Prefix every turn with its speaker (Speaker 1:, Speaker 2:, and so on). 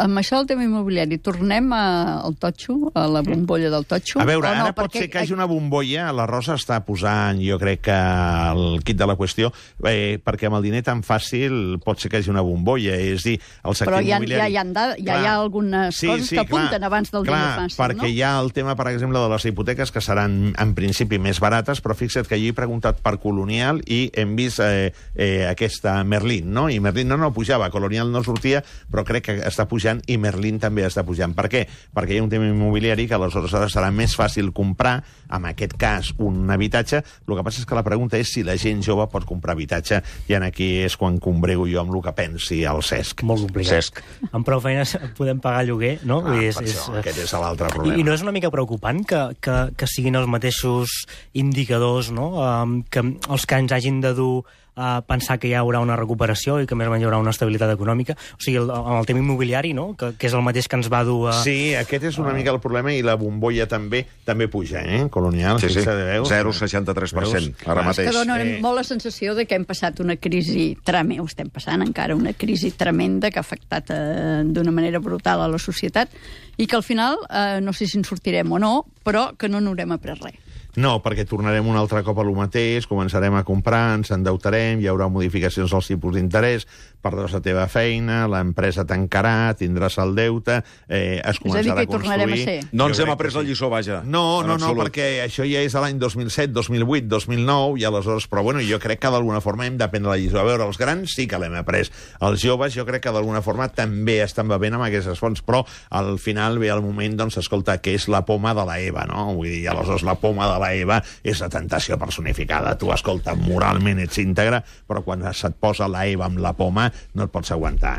Speaker 1: amb això del tema immobiliari, tornem al totxo, a la bombolla del totxo?
Speaker 2: A veure, ara pot ser que hi hagi una bombolla, la Rosa està posant, jo crec que el quid de la qüestió, perquè amb el diner tan fàcil pot ser que hi hagi una bombolla, és dir, el sector immobiliari...
Speaker 1: Però hi ha algunes coses que apunten abans del diner fàcil, no?
Speaker 2: Perquè hi ha el tema, per exemple, de les hipoteques, que seran, en principi, més barates, però fixa't que jo he preguntat per Colonial i hem vist aquesta Merlin, no? I Merlin no pujava, Colonial no sortia, però crec que està pujant i Merlin també està pujant. Per què? Perquè hi ha un tema immobiliari que aleshores serà més fàcil comprar, en aquest cas, un habitatge. El que passa és que la pregunta és si la gent jove pot comprar habitatge, i aquí és quan combrego jo amb el que pensi el Cesc.
Speaker 3: Molt complicat.
Speaker 2: Cesc.
Speaker 3: Amb prou feines podem pagar lloguer, no?
Speaker 2: Aquest és l'altre problema.
Speaker 3: I no és una mica preocupant que siguin els mateixos indicadors, no? Que els que ens hagin de dur a pensar que hi haurà una recuperació i que més o menys hi haurà una estabilitat econòmica. O sigui, el tema immobiliari, no? Que és el mateix que ens va dur a...
Speaker 2: Sí, aquest és una mica el problema, i la bombolla també puja, Colonial.
Speaker 4: Sí, 0,63% ara mateix.
Speaker 1: Que dona molt la sensació de que hem passat una crisi tremenda, o estem passant encara una crisi tremenda que ha afectat d'una manera brutal a la societat, i que al final, no sé si en sortirem o no, però que no n'haurem après res.
Speaker 2: No, perquè tornarem un altre cop a lo mateix, començarem a comprar, ens endeutarem, hi haurà modificacions als tipus d'interès, perdràs la teva feina, l'empresa tancarà, tindràs el deute, es començarà a construir...
Speaker 4: No ens hem après la lliçó, vaja.
Speaker 2: No, perquè això ja és l'any 2007, 2008, 2009, i aleshores... Però bueno, jo crec que d'alguna forma hem d'aprendre la lliçó. A veure, els grans sí que l'hem après. Els joves jo crec que d'alguna forma també estan bevent amb aquestes fonts, però al final ve el moment, doncs, escolta, que és la poma de la Eva, no? Vull dir, aleshores la poma de la Eva és la tentació personificada. Tu, escolta, moralment ets íntegre, però quan se't posa la Eva amb la poma no et pots aguantar,